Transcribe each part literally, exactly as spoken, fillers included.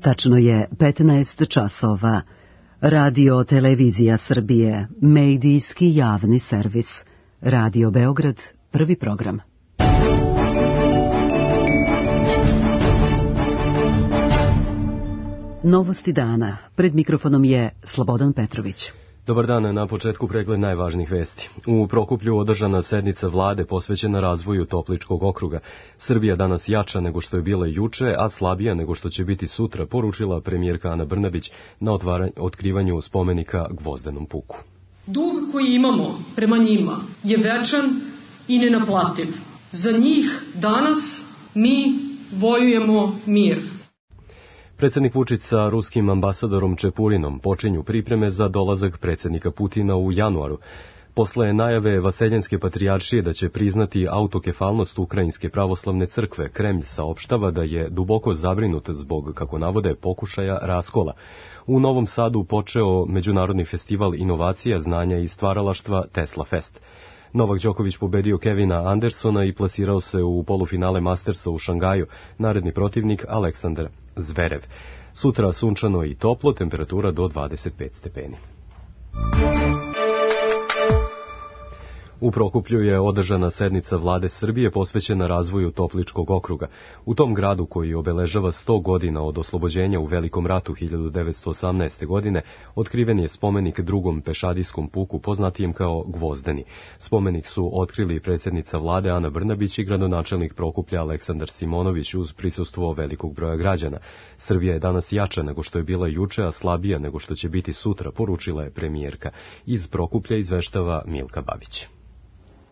Tačno je petnaest časova. Radio Televizija Srbije, medijski javni servis. Radio Beograd, prvi program. Novosti dana. Pred mikrofonom je Slobodan Petrović. Dobar dan, na početku pregled najvažnijih vesti. U Prokuplju održana sednica vlade posvećena razvoju Topličkog okruga. Srbija danas jača nego što je bila juče, a slabija nego što će biti sutra, poručila premijerka Ana Brnabić na otkrivanju spomenika Gvozdenom puku. Dug koji imamo prema njima je večan i nenaplativ. Za njih danas mi vojujemo mir. Predsjednik Vučić sa ruskim ambasadorom Čepurinom počinju pripreme za dolazak predsjednika Putina u januaru. Posle najave Vaseljenske patrijaršije da će priznati autokefalnost Ukrajinske pravoslavne crkve, Kremlj saopštava da je duboko zabrinut zbog, kako navode, pokušaja raskola. U Novom Sadu počeo Međunarodni festival inovacija, znanja i stvaralaštva Tesla Fest. Novak Đoković pobedio Kevina Andersona i plasirao se u polufinale Mastersa u Šangaju, naredni protivnik Aleksandar Zverev. Sutra sunčano i toplo, temperatura do dvadeset pet stepeni. U Prokuplju je održana sednica vlade Srbije posvećena razvoju Topličkog okruga. U tom gradu, koji obeležava sto godina od oslobođenja u Velikom ratu hiljadu devetsto osamnaeste. godine, otkriven je spomenik drugom pešadijskom puku, poznatijem kao Gvozdeni. Spomenik su otkrili predsjednica vlade Ana Brnabić i gradonačelnik Prokuplja Aleksandar Simonović uz prisustvo velikog broja građana. Srbija je danas jača nego što je bila juče, a slabija nego što će biti sutra, poručila je premijerka. Iz Prokuplja izveštava Milka Babić.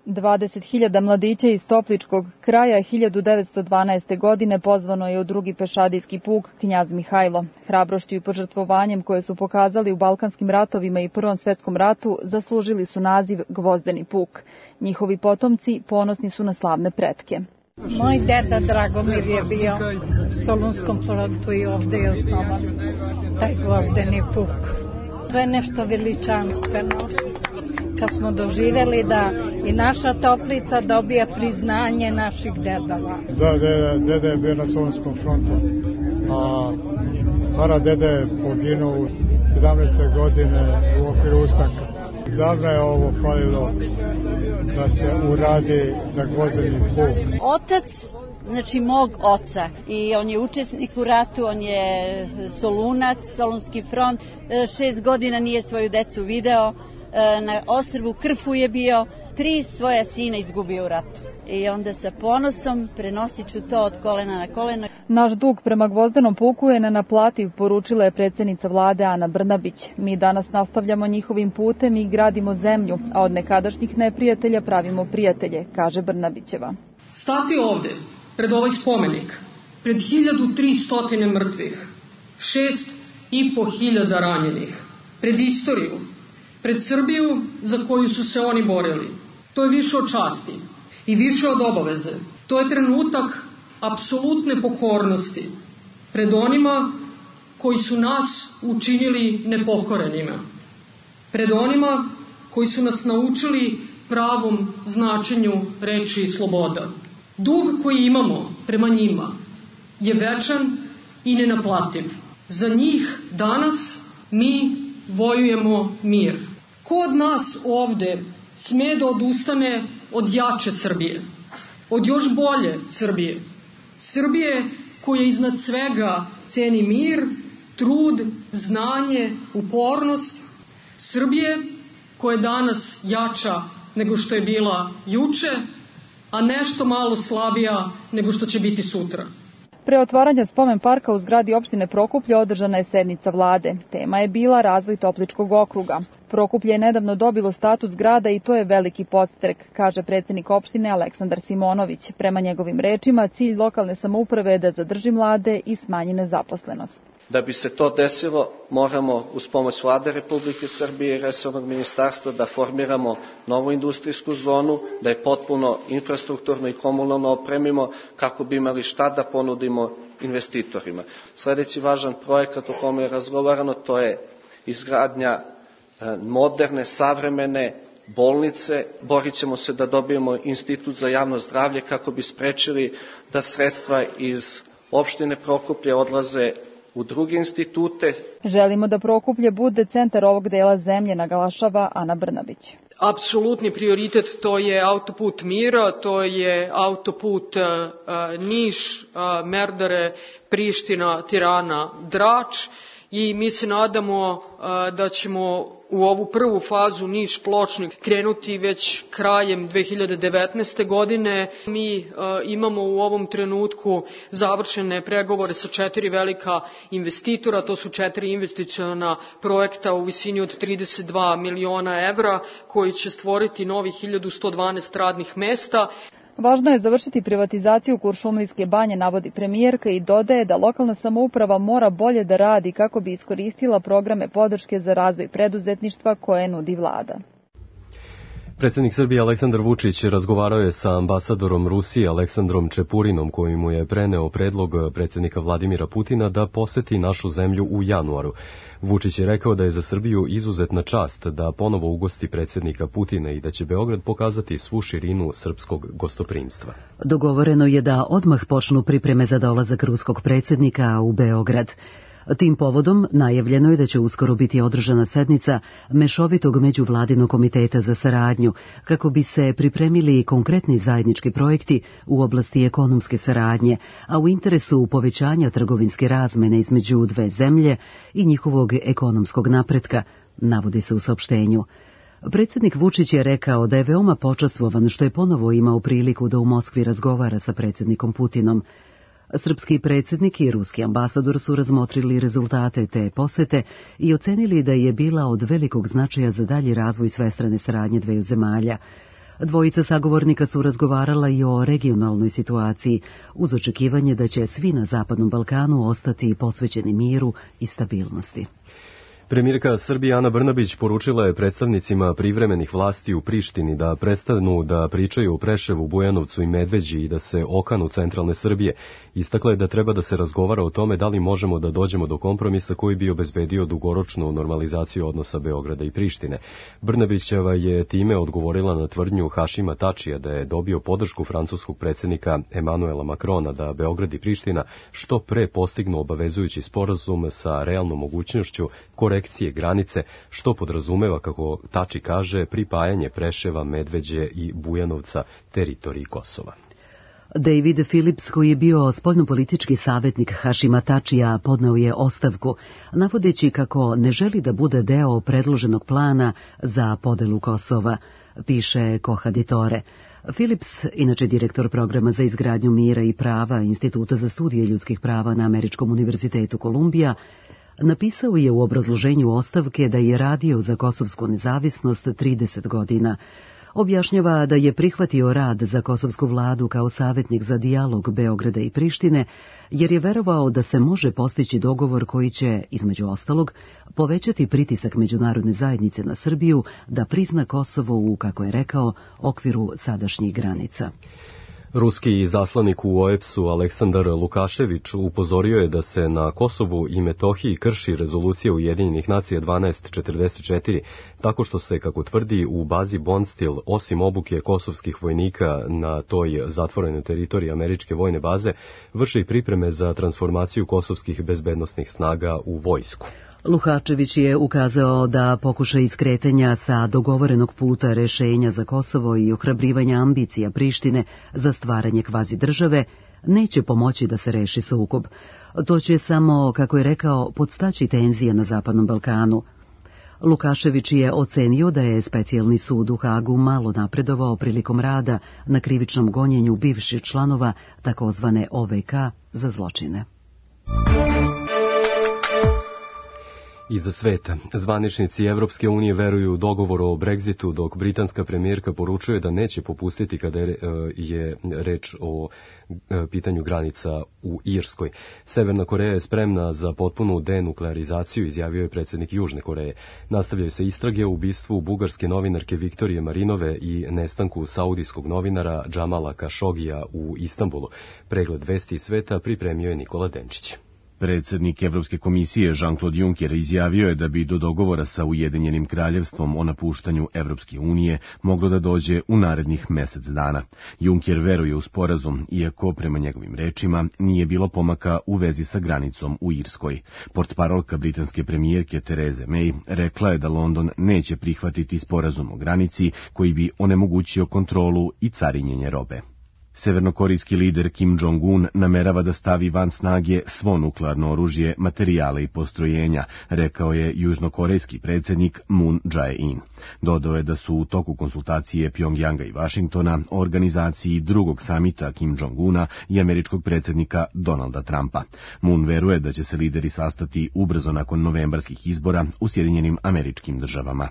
dvadeset hiljada mladića iz Topličkog kraja hiljadu devetsto dvanaeste. godine pozvano je u drugi pešadijski puk Knjaz Mihajlo. Hrabrošću i požrtvovanjem koje su pokazali u Balkanskim ratovima i Prvom svetskom ratu zaslužili su naziv Gvozdeni puk. Njihovi potomci ponosni su na slavne pretke. Moj deda Dragomir je bio u Solunskom frontu i ovde je osnovan taj Gvozdeni puk. To je nešto veličanstveno. Kad smo doživjeli da i naša Toplica dobija priznanje naših dedova. Da, deda, deda je bio na Solunskom frontu, a para deda je poginuo u sedamnaeste. godine u okviru ustanka. Davno je ovo falilo da se uradi za Gvozdeni puk. Otac, znači mog oca, i on je učesnik u ratu, on je Solunac, Solunski front, šest godina nije svoju decu video. Na ostrvu Krfu je bio, tri svoja sina izgubio u ratu. I onda sa ponosom prenosit ću to od kolena na koleno. Naš dug prema Gvozdenom puku je nenaplativ, poručila je predsjednica vlade Ana Brnabić. Mi danas nastavljamo njihovim putem i gradimo zemlju, a od nekadašnjih neprijatelja pravimo prijatelje, kaže Brnabićeva. Stati ovde, pred ovaj spomenik, pred hiljadu tristo mrtvih, šest i po hiljada ranjenih, pred istoriju, pred Srbiju za koju su se oni borili. To je više od časti i više od obaveze. To je trenutak apsolutne pokornosti pred onima koji su nas učinili nepokorenima. Pred onima koji su nas naučili pravom značenju reči sloboda. Dug koji imamo prema njima je večan i nenaplativ. Za njih danas mi vojujemo mir. Ko od nas ovde sme da odustane od jače Srbije, od još bolje Srbije, Srbije koja iznad svega ceni mir, trud, znanje, upornost, Srbije koja je danas jača nego što je bila juče, a nešto malo slabija nego što će biti sutra. Pre otvaranja spomen parka u zgradi opštine Prokuplje održana je sednica vlade. Tema je bila razvoj Topličkog okruga. Prokuplje je nedavno dobilo status grada i to je veliki podstrek, kaže predsjednik opštine Aleksandar Simonović. Prema njegovim rečima, cilj lokalne samouprave je da zadrži mlade i smanji nezaposlenost. Da bi se to desilo, moramo uz pomoć vlade Republike Srbije i resornog ministarstva da formiramo novu industrijsku zonu, da je potpuno infrastrukturno i komunalno opremimo kako bi imali šta da ponudimo investitorima. Sljedeći važan projekat o kome je razgovarano, to je izgradnja moderne, savremene bolnice. Borit ćemo se da dobijemo institut za javno zdravlje kako bi sprečili da sredstva iz opštine Prokuplje odlaze u druge institute. Želimo da Prokuplje bude centar ovog dela zemlje, naglašava Ana Brnabić. Apsolutni prioritet to je autoput mira, to je autoput uh, Niš, uh, Merdare, Priština, Tirana, Drač i mi se nadamo uh, da ćemo u ovu prvu fazu Niš-Pločnik krenuti već krajem dve hiljade devetnaeste. godine. Mi uh, imamo u ovom trenutku završene pregovore sa četiri velika investitora, to su četiri investiciona projekta u visini od trideset dva miliona evra koji će stvoriti novih hiljadu sto dvanaest radnih mesta. Važno je završiti privatizaciju Kuršumlijske banje, navodi premijerka i dodaje da lokalna samouprava mora bolje da radi kako bi iskoristila programe podrške za razvoj preduzetništva koje nudi vlada. Predsjednik Srbije Aleksandar Vučić razgovarao je sa ambasadorom Rusije Aleksandrom Čepurinom koji mu je preneo predlog predsjednika Vladimira Putina da poseti našu zemlju u januaru. Vučić je rekao da je za Srbiju izuzetna čast da ponovo ugosti predsjednika Putina i da će Beograd pokazati svu širinu srpskog gostoprimstva. Dogovoreno je da odmah počnu pripreme za dolazak ruskog predsjednika u Beograd. Tim povodom najavljeno je da će uskoro biti održana sednica Mešovitog međuvladinog komiteta za saradnju, kako bi se pripremili konkretni zajednički projekti u oblasti ekonomske saradnje, a u interesu povećanja trgovinske razmene između dve zemlje i njihovog ekonomskog napretka, navodi se u saopštenju. Predsjednik Vučić je rekao da je veoma počastvovan što je ponovo imao priliku da u Moskvi razgovara sa predsjednikom Putinom. Srpski predsjednik i ruski ambasador su razmotrili rezultate te posete i ocenili da je bila od velikog značaja za dalji razvoj svestrane saradnje dveju zemalja. Dvojica sagovornika su razgovarala i o regionalnoj situaciji, uz očekivanje da će svi na Zapadnom Balkanu ostati posvećeni miru i stabilnosti. Premijerka Srbije Ana Brnabić poručila je predstavnicima privremenih vlasti u Prištini da prestanu da pričaju o Preševu, Bujanovcu i Medveđi i da se okanu centralne Srbije. Istakla je da treba da se razgovara o tome da li možemo da dođemo do kompromisa koji bi obezbedio dugoročnu normalizaciju odnosa Beograda i Prištine. Brnabićeva je time odgovorila na tvrdnju Hašima Tačija da je dobio podršku francuskog predsjednika Emanuela Makrona da Beograd i Priština što pre postignu obavezujući sporazum sa realnom mogućnošću korekcije granice, što podrazumeva, kako Tači kaže, pripajanje Preševa, Medveđe i Bujanovca teritoriji Kosova. David Phillips, koji je bio spoljnopolitički savjetnik Hašima Tačija, podneo je ostavku, navodeći kako ne želi da bude deo predloženog plana za podelu Kosova, piše Kohaditore. Phillips, inače direktor programa za izgradnju mira i prava Instituta za studije ljudskih prava na Američkom univerzitetu Kolumbija, napisao je u obrazloženju ostavke da je radio za kosovsku nezavisnost trideset godina. Objašnjava da je prihvatio rad za kosovsku vladu kao savjetnik za dijalog Beograda i Prištine, jer je verovao da se može postići dogovor koji će, između ostalog, povećati pritisak međunarodne zajednice na Srbiju da prizna Kosovo u, kako je rekao, okviru sadašnjih granica. Ruski zaslanik u O E B S-u Aleksandar Lukašević upozorio je da se na Kosovu i Metohiji krši rezolucija Ujedinjenih nacija dvanaest četrdeset četiri, tako što se, kako tvrdi, u bazi Bondstil, osim obuke kosovskih vojnika na toj zatvorenoj teritoriji američke vojne baze, vrše i pripreme za transformaciju kosovskih bezbednosnih snaga u vojsku. Lukačević je ukazao da pokušaj iskretanja sa dogovorenog puta rešenja za Kosovo i ohrabrivanja ambicija Prištine za stvaranje kvazi države neće pomoći da se reši sukob. To će samo, kako je rekao, podstaći tenzije na Zapadnom Balkanu. Lukašević je ocenio da je specijalni sud u Hagu malo napredovao prilikom rada na krivičnom gonjenju bivših članova takozvane O V K za zločine. Iza sveta. Zvaničnici Evropske unije veruju u dogovor o Brexitu, dok britanska premijerka poručuje da neće popustiti kada je reč o pitanju granica u Irskoj. Severna Koreja je spremna za potpunu denuklearizaciju, izjavio je predsjednik Južne Koreje. Nastavljaju se istrage o ubistvu bugarske novinarke Viktorije Marinove i nestanku saudijskog novinara Džamala Kašogija u Istanbulu. Pregled vesti iz sveta pripremio je Nikola Denčić. Predsjednik Evropske komisije Jean-Claude Juncker izjavio je da bi do dogovora sa Ujedinjenim kraljevstvom o napuštanju Evropske unije moglo da dođe u narednih mesec dana. Juncker veruje u sporazum, iako prema njegovim rečima nije bilo pomaka u vezi sa granicom u Irskoj. Portparolka britanske premijerke Therese May rekla je da London neće prihvatiti sporazum o granici koji bi onemogućio kontrolu i carinjenje robe. Severnokorejski lider Kim Jong-un namerava da stavi van snage svo nuklearno oružje, materijale i postrojenja, rekao je južnokorejski predsjednik Moon Jae-in. Dodao je da su u toku konsultacije Pjongjanga i Vašingtona o organizaciji drugog samita Kim Jong-una i američkog predsjednika Donalda Trumpa. Moon veruje da će se lideri sastati ubrzo nakon novembarskih izbora u Sjedinjenim Američkim Državama.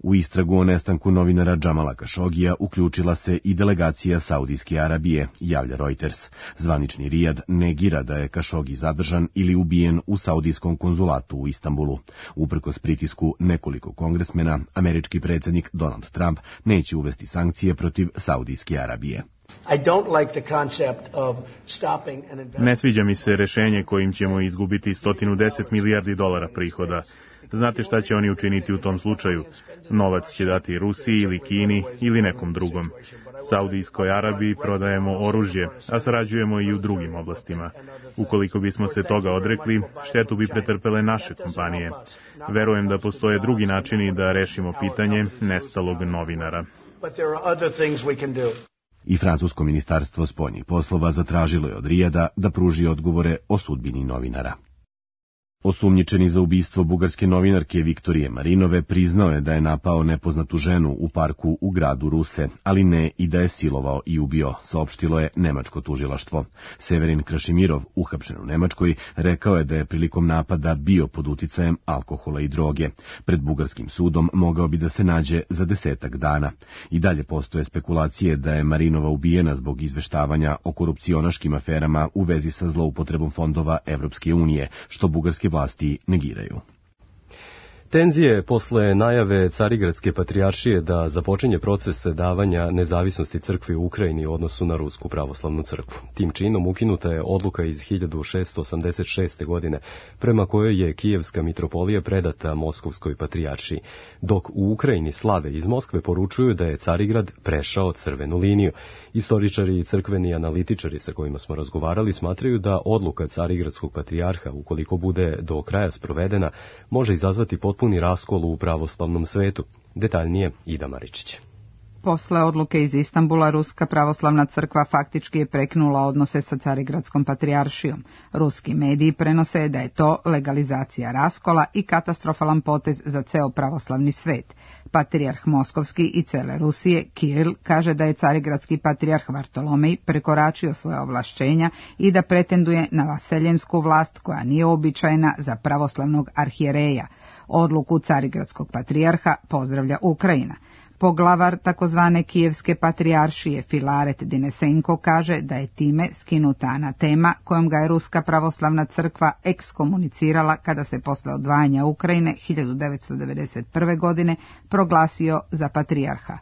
U istragu o nestanku novinara Džamala Kašogija uključila se i delegacija Saudijske Arabije, javlja Reuters. Zvanični Rijad negira da je Kašogi zadržan ili ubijen u saudijskom konzulatu u Istanbulu. Uprkos pritisku nekoliko kongresmena, američki predsjednik Donald Trump neće uvesti sankcije protiv Saudijske Arabije. Ne sviđa mi se rešenje kojim ćemo izgubiti sto deset milijardi dolara prihoda. Znate šta će oni učiniti u tom slučaju? Novac će dati Rusiji ili Kini ili nekom drugom. Saudijskoj Arabiji prodajemo oružje, a sarađujemo i u drugim oblastima. Ukoliko bismo se toga odrekli, štetu bi pretrpele naše kompanije. Verujem da postoje drugi načini da rešimo pitanje nestalog novinara. I francusko ministarstvo spoljnih poslova zatražilo je od Rijada da pruži odgovore o sudbini novinara. Osumnjičeni za ubistvo bugarske novinarke Viktorije Marinove priznao je da je napao nepoznatu ženu u parku u gradu Ruse, ali ne i da je silovao i ubio, saopštilo je nemačko tužilaštvo. Severin Krašimirov, uhapšen u Nemačkoj, rekao je da je prilikom napada bio pod uticajem alkohola i droge. Pred bugarskim sudom mogao bi da se nađe za desetak dana. I dalje postoje spekulacije da je Marinova ubijena zbog izveštavanja o korupcionaškim aferama u vezi sa zloupotrebom fondova Evropske unije, što bugarske vlasti negiraju. Tenzije posle najave Carigradske patrijaršije da započinje proces davanja nezavisnosti crkvi u Ukrajini u odnosu na Rusku pravoslavnu crkvu. Tim činom ukinuta je odluka iz hiljadu šeststo osamdeset šeste. godine, prema kojoj je Kijevska mitropolija predata Moskovskoj patrijaršiji, dok u Ukrajini slave iz Moskve poručuju da je Carigrad prešao crvenu liniju. Istoričari i crkveni analitičari sa kojima smo razgovarali smatraju da odluka Carigradskog patrijarha, ukoliko bude do kraja sprovedena, može izazvati potpuni raskol u pravoslavnom svetu. Detaljnije Ida Maričić. Posle odluke iz Istanbula, Ruska pravoslavna crkva faktički je prekinula odnose sa Carigradskom patrijaršijom. Ruski mediji prenose da je to legalizacija raskola i katastrofalan potez za ceo pravoslavni svet. Patrijarh Moskovski i cele Rusije, Kiril, kaže da je Carigradski patrijarh Vartolomej prekoračio svoje ovlašćenja i da pretenduje na vaseljensku vlast koja nije običajna za pravoslavnog arhijereja. Odluku Carigradskog patrijarha pozdravlja Ukrajina. Poglavar takozvane Kijevske patrijaršije Filaret Dinesenko kaže da je time skinuta anatema kojom ga je Ruska pravoslavna crkva ekskomunicirala kada se posle odvajanja Ukrajine hiljadu devetsto devedeset prve. godine proglasio za patrijarha.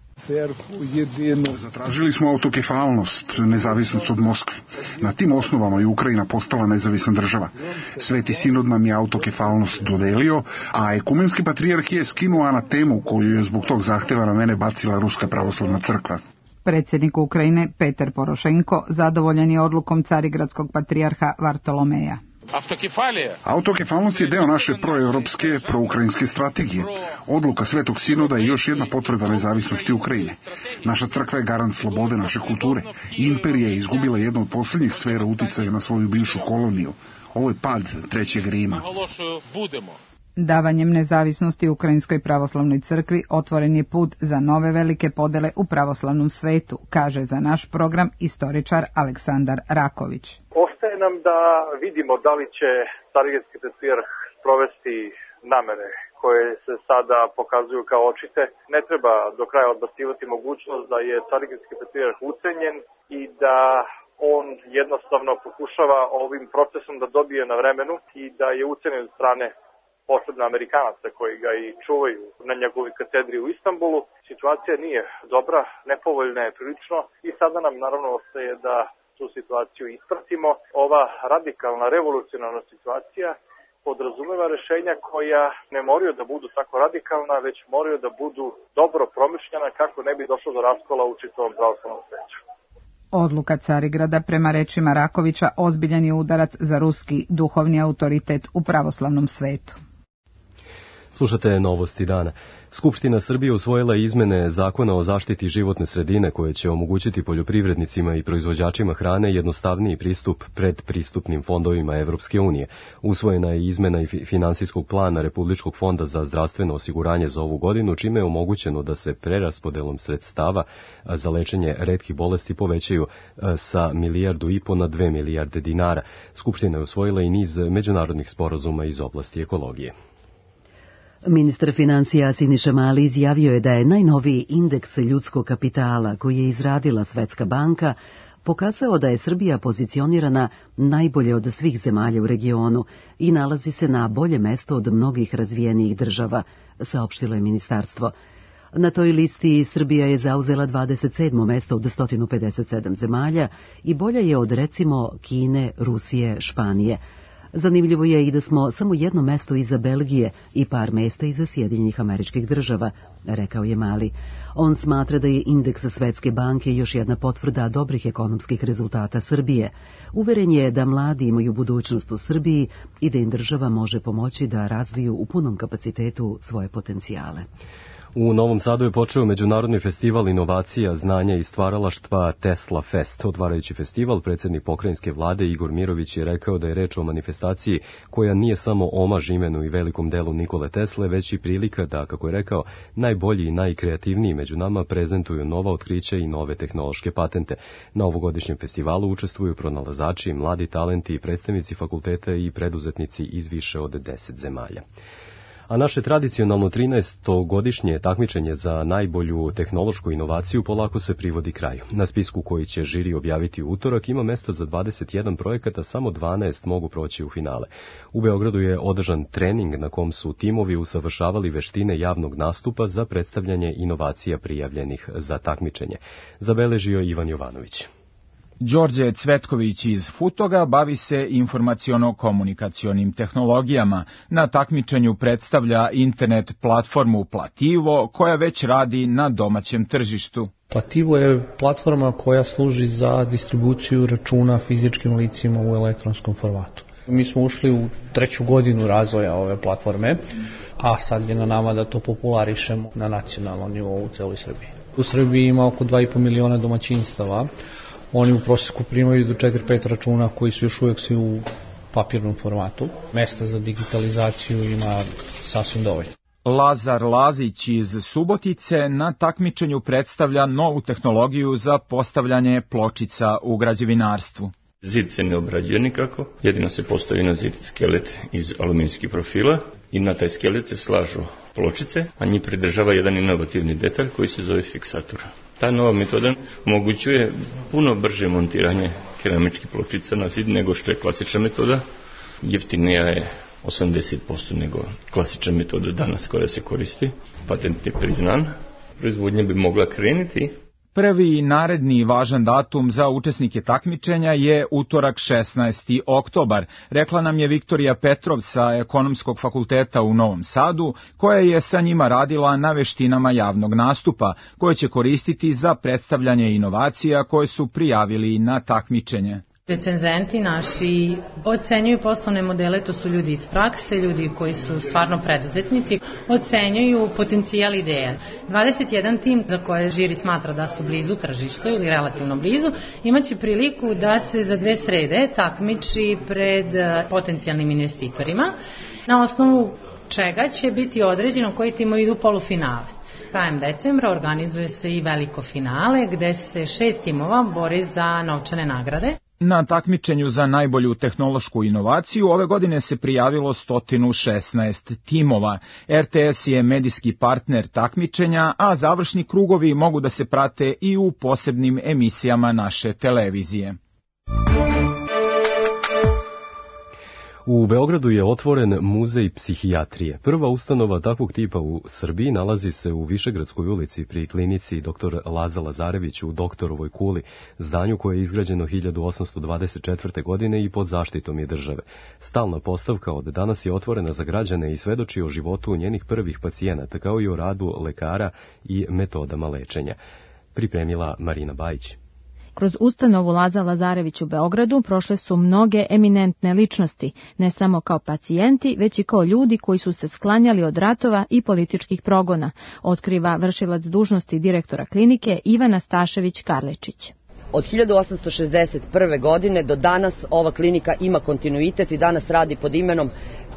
Zatražili smo autokefalnost, nezavisnost od Moskve. Na tim osnovama je Ukrajina postala nezavisna država. Sveti sinod nam je autokefalnost dodelio, a ekumenski patrijarh je skinuo anatemu koju je zbog tog zahteva na mene bacila Ruska pravoslavna crkva. Predsjednik Ukrajine Petar Porošenko zadovoljan je odlukom Carigradskog patrijarha Vartolomeja. Autokefalnost je deo naše proevropske, proukrajinske strategije. Odluka Svetog sinoda je još jedna potvrda nezavisnosti Ukrajine. Naša crkva je garant slobode naše kulture. Imperija je izgubila jednu od posljednjih sfera uticaja na svoju bivšu koloniju. Ovo je pad Trećeg Rima. Davanjem nezavisnosti Ukrajinskoj pravoslavnoj crkvi otvoren je put za nove velike podele u pravoslavnom svetu, kaže za naš program istoričar Aleksandar Raković. Ostaje nam da vidimo da li će Carigradski patrijarh sprovesti namere koje se sada pokazuju kao očite. Ne treba do kraja odbacivati mogućnost da je Carigradski patrijarh ucenjen i da on jednostavno pokušava ovim procesom da dobije na vremenu i da je ucenjen od strane posebno Amerikanaca koji ga i čuvaju na njegovoj katedri u Istanbulu. Situacija nije dobra, nepovoljna je prilično i sada nam naravno ostaje da tu situaciju ispratimo. Ova radikalna, revolucionarna situacija podrazumeva rešenja koja ne moraju da budu tako radikalna, već moraju da budu dobro promišljena kako ne bi došlo do raskola u čitavom pravoslavnom svetu. Odluka Carigrada, prema rečima Rakovića, ozbiljan je udarac za ruski duhovni autoritet u pravoslavnom svetu. Slušate Novosti dana. Skupština Srbije usvojila izmene Zakona o zaštiti životne sredine koje će omogućiti poljoprivrednicima i proizvođačima hrane jednostavniji pristup predpristupnim fondovima Evropske unije. Usvojena je izmena i finansijskog plana Republičkog fonda za zdravstveno osiguranje za ovu godinu, čime je omogućeno da se preraspodelom sredstava za lečenje retkih bolesti povećaju sa milijardu i po na dve milijarde dinara. Skupština je usvojila i niz međunarodnih sporazuma iz oblasti ekologije. Ministar financija Siniša Mali izjavio je da je najnoviji indeks ljudskog kapitala koji je izradila Svetska banka pokazao da je Srbija pozicionirana najbolje od svih zemalja u regionu i nalazi se na bolje mesto od mnogih razvijenijih država, saopštilo je ministarstvo. Na toj listi Srbija je zauzela dvadeset sedmo mesto od sto pedeset sedam zemalja i bolja je od recimo Kine, Rusije, Španije. Zanimljivo je i da smo samo jedno mesto iza Belgije i par mesta iza Sjedinjenih Američkih Država, rekao je Mali. On smatra da je indeks Svetske banke još jedna potvrda dobrih ekonomskih rezultata Srbije. Uveren je da mladi imaju budućnost u Srbiji i da im država može pomoći da razviju u punom kapacitetu svoje potencijale. U Novom Sadu je počeo Međunarodni festival inovacija, znanja i stvaralaštva Tesla Fest. Otvarajući festival, predsjednik pokrajinske vlade Igor Mirović je rekao da je reč o manifestaciji koja nije samo omaž imenu i velikom delu Nikole Tesle, već i prilika da, kako je rekao, najbolji i najkreativniji među nama prezentuju nova otkrića i nove tehnološke patente. Na ovogodišnjem festivalu učestvuju pronalazači, mladi talenti, predstavnici fakulteta i preduzetnici iz više od deset zemalja. A naše tradicionalno trinaestogodišnje takmičenje za najbolju tehnološku inovaciju polako se privodi kraju. Na spisku koji će žiri objaviti u utorak ima mesta za dvadeset jedan projekata, samo dvanaest mogu proći u finale. U Beogradu je održan trening na kom su timovi usavršavali veštine javnog nastupa za predstavljanje inovacija prijavljenih za takmičenje. Zabeležio Ivan Jovanović. Đorđe Cvetković iz Futoga bavi se informaciono-komunikacionim tehnologijama. Na takmičenju predstavlja internet platformu Plativo, koja već radi na domaćem tržištu. Plativo je platforma koja služi za distribuciju računa fizičkim licima u elektronskom formatu. Mi smo ušli u treću godinu razvoja ove platforme, a sad je na nama da to popularišemo na nacionalnom nivou u celoj Srbiji. U Srbiji ima oko dva i po miliona domaćinstava. Oni u prosjeku primaju do četiri pet računa koji su još uvijek svi u papirnom formatu. Mesta za digitalizaciju ima sasvim dovoljno. Lazar Lazić iz Subotice na takmičenju predstavlja novu tehnologiju za postavljanje pločica u građevinarstvu. Zid se ne obrađuje nikako, jedino se postavi na zid skelet iz aluminijskih profila i na taj skelet se slažu pločice, a njih pridržava jedan inovativni detalj koji se zove fiksator. Ta nova metoda omogućuje puno brže montiranje keramičkih pločica na zid nego što je klasična metoda. Jeftinija je osamdeset posto nego klasična metoda danas koja se koristi. Patent je priznan. Proizvodnja bi mogla krenuti. Prvi naredni važan datum za učesnike takmičenja je utorak šesnaesti oktobar, rekla nam je Viktorija Petrov sa Ekonomskog fakulteta u Novom Sadu, koja je sa njima radila na veštinama javnog nastupa, koje će koristiti za predstavljanje inovacija koje su prijavili na takmičenje. Recenzenti naši ocenjuju poslovne modele, to su ljudi iz prakse, ljudi koji su stvarno preduzetnici, ocenjuju potencijal ideja. dvadeset jedan tim za koje žiri smatra da su blizu tržištu ili relativno blizu, imaće priliku da se za dve srede takmiči pred potencijalnim investitorima, na osnovu čega će biti određeno koji timovi idu u polufinale. Krajem decembra organizuje se i veliko finale gde se šest timova bori za novčane nagrade. Na takmičenju za najbolju tehnološku inovaciju ove godine se prijavilo sto šesnaest timova. R T S je medijski partner takmičenja, a završni krugovi mogu da se prate i u posebnim emisijama naše televizije. U Beogradu je otvoren muzej psihijatrije. Prva ustanova takvog tipa u Srbiji nalazi se u Višegradskoj ulici pri klinici doktor Laza Lazarević u Doktorovoj kuli, zdanju koje je izgrađeno hiljadu osamsto dvadeset četvrte. godine i pod zaštitom je države. Stalna postavka od danas je otvorena za građane i svedoči o životu njenih prvih pacijenata, kao i o radu lekara i metodama lečenja. Pripremila Marina Bajić. Kroz ustanovu Laza Lazarević u Beogradu prošle su mnoge eminentne ličnosti, ne samo kao pacijenti, već i kao ljudi koji su se sklanjali od ratova i političkih progona, otkriva vršilac dužnosti direktora klinike Ivana Stašević-Karlečić. Od hiljadu osamsto šezdeset prve. godine do danas ova klinika ima kontinuitet i danas radi pod imenom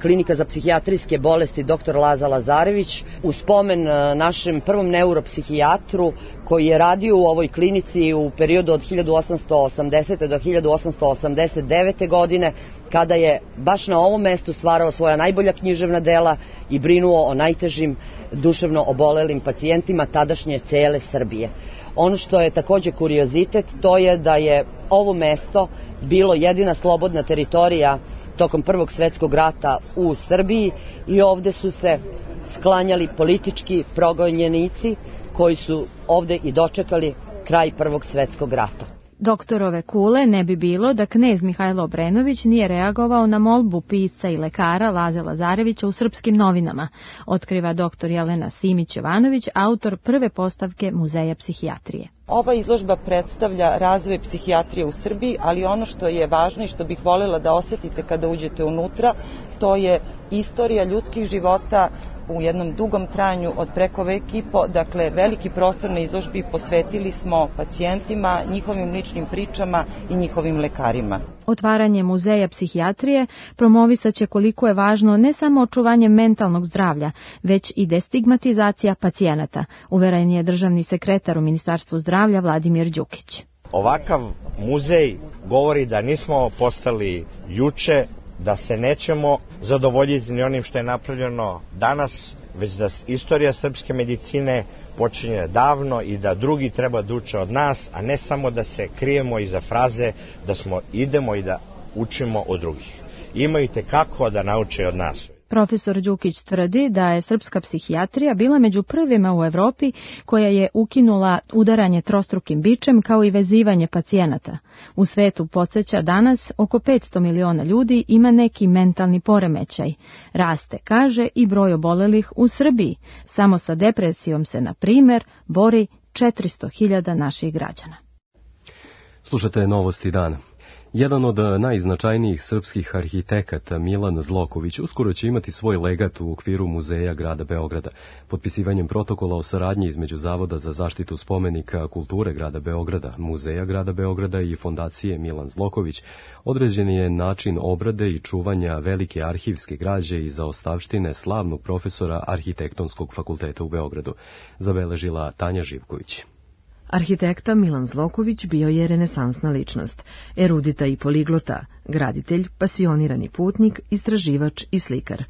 Klinika za psihijatrijske bolesti doktor Laza Lazarević, u spomen našem prvom neuropsihijatru koji je radio u ovoj klinici u periodu od hiljadu osamsto osamdesete. do hiljadu osamsto osamdeset devete. godine, kada je baš na ovom mestu stvarao svoja najbolja književna dela i brinuo o najtežim duševno obolelim pacijentima tadašnje cele Srbije. Ono što je takođe kuriozitet, to je da je ovo mesto bilo jedina slobodna teritorija tokom Prvog svetskog rata u Srbiji i ovde su se sklanjali politički progonjenici koji su ovde i dočekali kraj Prvog svetskog rata. Doktorove kule ne bi bilo da knez Mihajlo Obrenović nije reagovao na molbu pisca i lekara Laze Lazarevića u Srpskim novinama, otkriva doktor Jelena Simić-Jovanović, autor prve postavke Muzeja psihijatrije. Ova izložba predstavlja razvoj psihijatrije u Srbiji, ali ono što je važno i što bih voljela da osetite kada uđete unutra, to je istorija ljudskih života u jednom dugom trajanju od preko vek i po, dakle veliki prostor na izložbi posvetili smo pacijentima, njihovim ličnim pričama i njihovim lekarima. Otvaranje Muzeja psihijatrije promovisaće koliko je važno ne samo očuvanje mentalnog zdravlja, već i destigmatizacija pacijenata, uveren je državni sekretar u Ministarstvu zdravlja Vladimir Đukić. Ovakav muzej govori da nismo postali juče, da se nećemo zadovoljiti ni onim što je napravljeno danas, već da istorija srpske medicine počinje davno i da drugi treba da uče od nas, a ne samo da se krijemo iza fraze da smo idemo i da učimo od drugih. Imaju te kako da nauče od nas. Profesor Đukić tvrdi da je srpska psihijatrija bila među prvima u Evropi koja je ukinula udaranje trostrukim bičem kao i vezivanje pacijenata. U svetu, podsjeća, danas oko petsto miliona ljudi ima neki mentalni poremećaj. Raste, kaže, i broj obolelih u Srbiji. Samo sa depresijom se, na primer, bori četiristo hiljada naših građana. Slušate Novosti dana. Jedan od najznačajnijih srpskih arhitekata, Milan Zloković, uskoro će imati svoj legat u okviru Muzeja grada Beograda. Potpisivanjem protokola o saradnji između Zavoda za zaštitu spomenika kulture grada Beograda, Muzeja grada Beograda i Fondacije Milan Zloković, određen je način obrade i čuvanja velike arhivske građe i zaostavštine slavnog profesora Arhitektonskog fakulteta u Beogradu, zabeležila Tanja Živković. Arhitekta Milan Zloković bio je renesansna ličnost, erudita i poliglota, graditelj, pasionirani putnik, istraživač i slikar.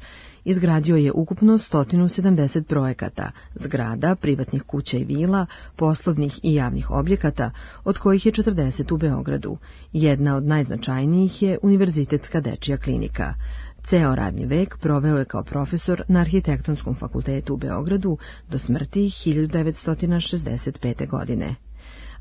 Izgradio je ukupno sto sedamdeset projekata, zgrada, privatnih kuća i vila, poslovnih i javnih objekata, od kojih je četrdeset u Beogradu. Jedna od najznačajnijih je Univerzitetska dečija klinika. Ceo radni vek proveo je kao profesor na Arhitektonskom fakultetu u Beogradu do smrti hiljadu devetsto šezdeset pete. godine.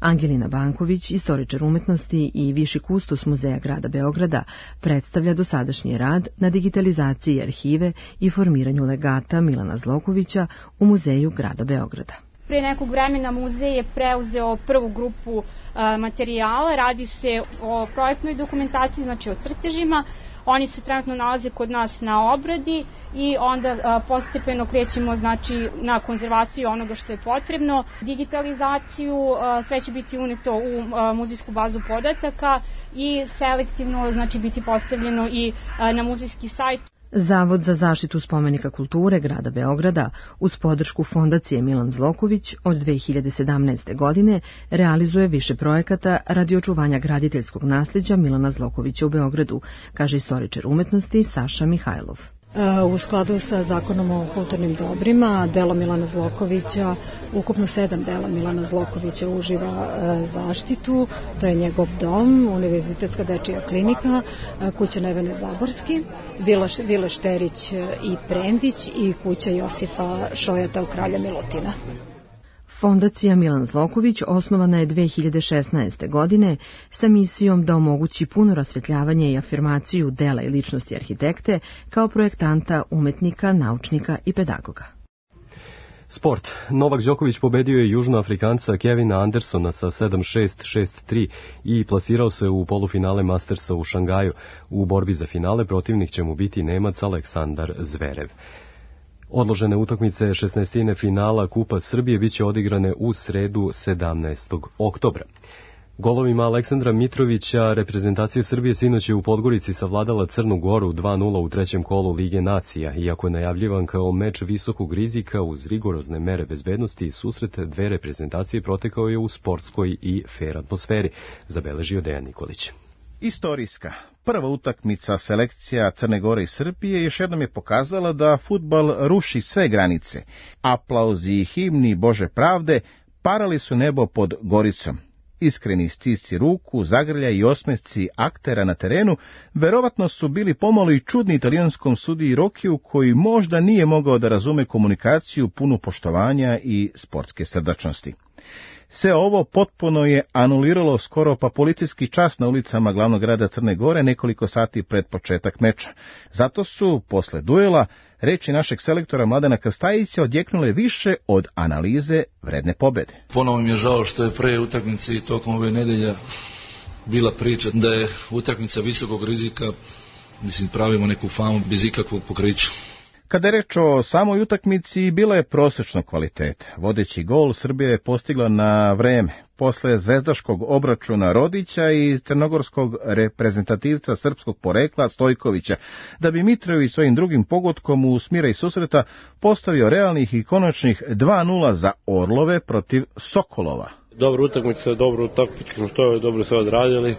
Angelina Banković, istoričar umetnosti i viši kustos Muzeja grada Beograda, predstavlja dosadašnji rad na digitalizaciji arhive i formiranju legata Milana Zlokovića u Muzeju grada Beograda. Pre nekog vremena muzej je preuzeo prvu grupu a, materijala, radi se o projektnoj dokumentaciji, znači o crtežima. Oni se trenutno nalaze kod nas na obradi i onda a, postepeno krećemo znači, na konzervaciju onoga što je potrebno, digitalizaciju, a, sve će biti uneto u a, muzejsku bazu podataka i selektivno znači, biti postavljeno i a, na muzejski sajt. Zavod za zaštitu spomenika kulture grada Beograda uz podršku Fondacije Milan Zloković od dve hiljade sedamnaeste. godine realizuje više projekata radi očuvanja graditeljskog nasljeđa Milana Zlokovića u Beogradu, kaže istoričar umetnosti Saša Mihajlov. U skladu sa zakonom o kulturnim dobrima, delo Milana Zlokovića, ukupno sedam dela Milana Zlokovića uživa zaštitu. To je njegov dom, Univerzitetska dečija klinika, kuća Nevene Zaborski, Vila Šterić i Prendić i kuća Josifa Šojata u Kralja Milutina. Fondacija Milan Zloković osnovana je dve hiljade šesnaeste. godine sa misijom da omogući puno rasvetljavanje i afirmaciju dela i ličnosti arhitekte kao projektanta, umetnika, naučnika i pedagoga. Sport. Novak Đoković pobedio je Južnoafrikanca Kevina Andersona sa sedam šest, šest tri i plasirao se u polufinale Mastersa u Šangaju. U borbi za finale protivnik će mu biti Nemac Aleksandar Zverev. Odložene utakmice šesnaestine finala Kupa Srbije biće odigrane u sredu sedamnaestog oktobra. Golovima Aleksandra Mitrovića reprezentacija Srbije sinoć je u Podgorici savladala Crnu Goru dva nula u trećem kolu Lige nacija, iako je najavljivan kao meč visokog rizika uz rigorozne mere bezbednosti, susret dve reprezentacije protekao je u sportskoj i fer atmosferi, zabeležio Dejan Nikolić. Istorijska prva utakmica selekcija Crne Gore i Srbije još jednom je pokazala da fudbal ruši sve granice. Aplauzi i himni Bože pravde parali su nebo pod Goricom. Iskreni stisci ruku, zagrlja i osmesci aktera na terenu verovatno su bili pomalo i čudni italijanskom sudiji Rokiju, koji možda nije mogao da razume komunikaciju punu poštovanja i sportske srdačnosti. Sve ovo potpuno je anuliralo skoro pa policijski čas na ulicama glavnog grada Crne Gore nekoliko sati pred početak meča. Zato su, posle duela, reči našeg selektora Mladena Krstajića odjeknule više od analize vredne pobede. Ponovo mi je žao što je pre utakmice i tokom ove nedelja bila priča da je utakmica visokog rizika, mislim pravimo neku famu bez ikakvog pokrića. Kada je reč o samoj utakmici, bila je prosječnog kvaliteta. Vodeći gol Srbija je postigla na vreme, posle zvezdaškog obračuna Rodića i crnogorskog reprezentativca srpskog porekla Stojkovića, da bi Mitrović svojim drugim pogodkom u smira i susreta postavio realnih i konačnih dva nula za Orlove protiv Sokolova. Dobra utakmica, dobro taktički smo to dobro sve odradili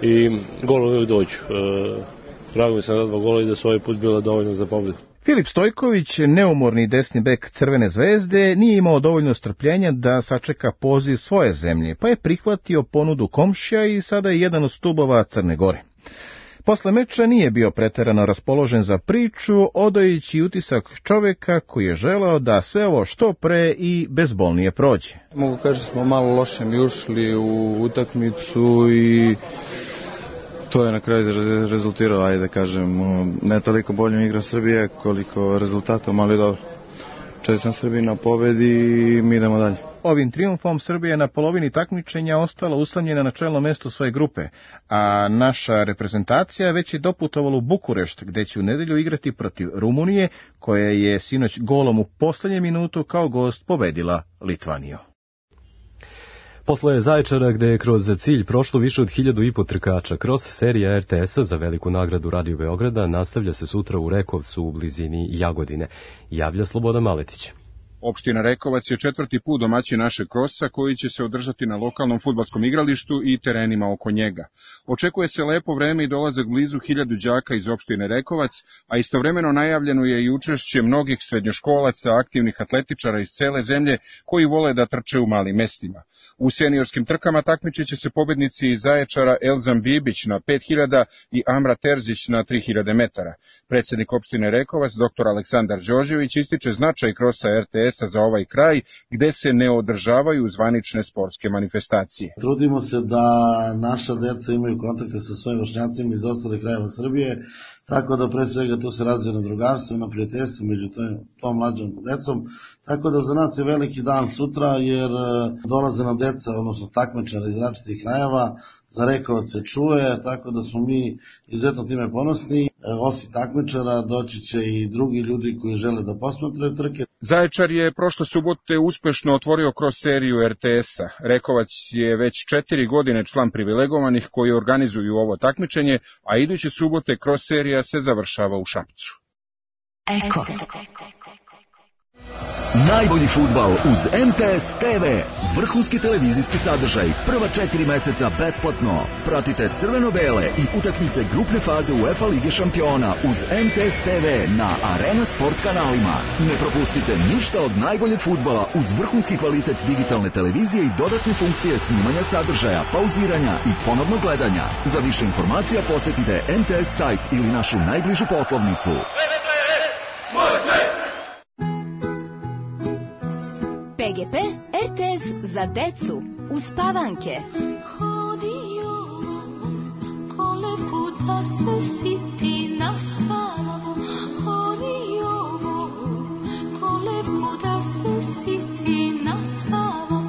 i gol uvijek dođu. E, drago mi se na dva gola i da su ovaj put bila dovoljno za pobjedu. Filip Stojković, neumorni desni bek Crvene zvezde, nije imao dovoljno strpljenja da sačeka poziv svoje zemlje, pa je prihvatio ponudu komšija i sada je jedan od stubova Crne Gore. Posle meča nije bio preterano raspoložen za priču, odajući utisak čoveka koji je želeo da sve ovo što pre i bezbolnije prođe. Mogu kaži smo malo loše mi ušli u utakmicu i to je na kraju rezultiralo, ajde da kažem, ne toliko boljom igra Srbije koliko rezultatom, ali dobro. Čestitam Srbiji na pobedi i mi idemo dalje. Ovim trijumfom Srbija je na polovini takmičenja ostala usamljena na čelno mesto svoje grupe, a naša reprezentacija već je doputovala u Bukurešt, gde će u nedelju igrati protiv Rumunije, koja je sinoć golom u poslednjem minutu kao gost pobedila Litvaniju. Posle Zaječara, gde je kroz cilj prošlo više od hiljadu i po trkača, kroz serija er te es-a za veliku nagradu Radio Beograda nastavlja se sutra u Rekovcu u blizini Jagodine, javlja Slobodan Maletić. Opština Rekovac je četvrti put domaćin našeg krosa koji će se održati na lokalnom fudbalskom igralištu i terenima oko njega. Očekuje se lepo vreme i dolazak blizu hiljadu đaka iz opštine Rekovac, a istovremeno najavljeno je i učešće mnogih srednjoškolaca, aktivnih atletičara iz cele zemlje koji vole da trče u malim mestima. U seniorskim trkama takmičit će se pobednici iz Zaječara Elzan Bibić na pet hiljada i Amra Terzić na tri hiljade metara. Predsjednik opštine Rekovac, doktor Aleksandar Đorđević, ističe značaj krosa er te es-a za ovaj kraj, gde se ne održavaju zvanične sportske manifestacije. Trudimo se da naša deca imaju kontakte sa svojim vršnjacima iz ostalih krajeva Srbije, tako da pre svega tu se razvije na drugarstvo i na prijateljstvo među tom mlađom decom, tako da za nas je veliki dan sutra jer dolaze nam deca, odnosno takmičara iz različitih krajeva, za Rekovac se čuje, tako da smo mi izuzetno time ponosni. Osim takmičara doći će i drugi ljudi koji žele da posmatraju trke. Zaječar je prošle subote uspešno otvorio kroz seriju er te es-a. Rekovac je već četiri godine član privilegovanih koji organizuju ovo takmičenje, a iduće subote kroz serija se završava u Šapcu. Eko. Najbolji fudbal uz M T S T V. Vrhunski televizijski sadržaj. Prva četiri meseca besplatno. Pratite crveno-bele i utakmice grupne faze UEFA Lige šampiona uz M T S T V na Arena Sport kanalima. Ne propustite ništa od najboljeg fudbala uz vrhunski kvalitet digitalne televizije i dodatne funkcije snimanja sadržaja, pauziranja i ponovnog gledanja. Za više informacija posjetite M T S sajt ili našu najbližu poslovnicu. P G P R T S za decu uspavanke. Hodio kolevku da se siti na spavu. Hodio kolevku da se siti na spavu.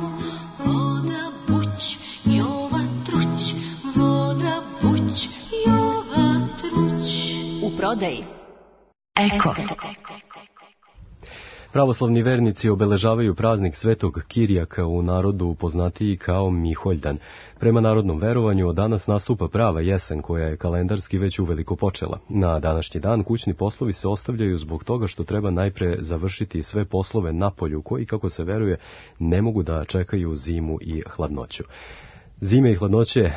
Voda buć, jova truć. Voda buć, jova truć. U prodaji Eko. Pravoslavni vernici obeležavaju praznik Svetog Kirijaka, u narodu poznatiji kao Miholjdan. Prema narodnom verovanju od danas nastupa prava jesen koja je kalendarski već uveliko počela. Na današnji dan kućni poslovi se ostavljaju zbog toga što treba najpre završiti sve poslove na polju koji, kako se veruje, ne mogu da čekaju zimu i hladnoću. Zime i hladnoće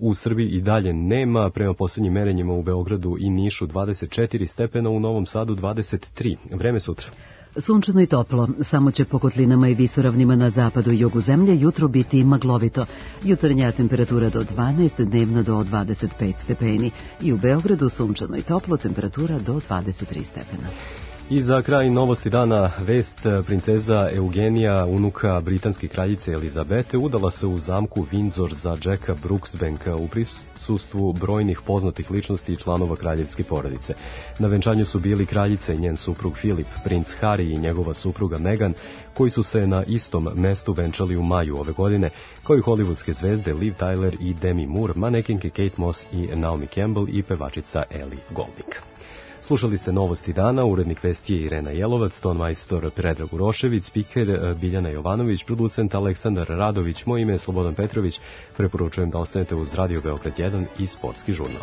u Srbiji i dalje nema, prema posljednjim merenjima u Beogradu i Nišu dvadeset četiri stepena, u Novom Sadu dvadeset tri. Vreme sutra. Sunčano i toplo, samo će po kotlinama i visoravnima na zapadu i jugu zemlje jutro biti maglovito. Jutarnja temperatura do dvanaest, dnevna do dvadeset pet stepeni. I u Beogradu sunčano i toplo, temperatura do dvadeset tri stepena. I za kraj novosti dana vest, princeza Eugenija, unuka britanske kraljice Elizabete, udala se u zamku Windsor za Jacka Brooksbanka u prisustvu brojnih poznatih ličnosti i članova kraljevske porodice. Na venčanju su bili kraljica i njen suprug Filip, princ Harry i njegova supruga Meghan, koji su se na istom mestu venčali u maju ove godine, kao i hollywoodske zvezde Liv Tyler i Demi Moore, manekenke Kate Moss i Naomi Campbell i pevačica Ellie Goulding. Slušali ste novosti dana, urednik vesti je Irena Jelovac, tonmajstor Predrag Urošević, spiker Biljana Jovanović, producent Aleksandar Radović, moje ime je Slobodan Petrović, preporučujem da ostanete uz Radio Beograd jedan i Sportski žurnal.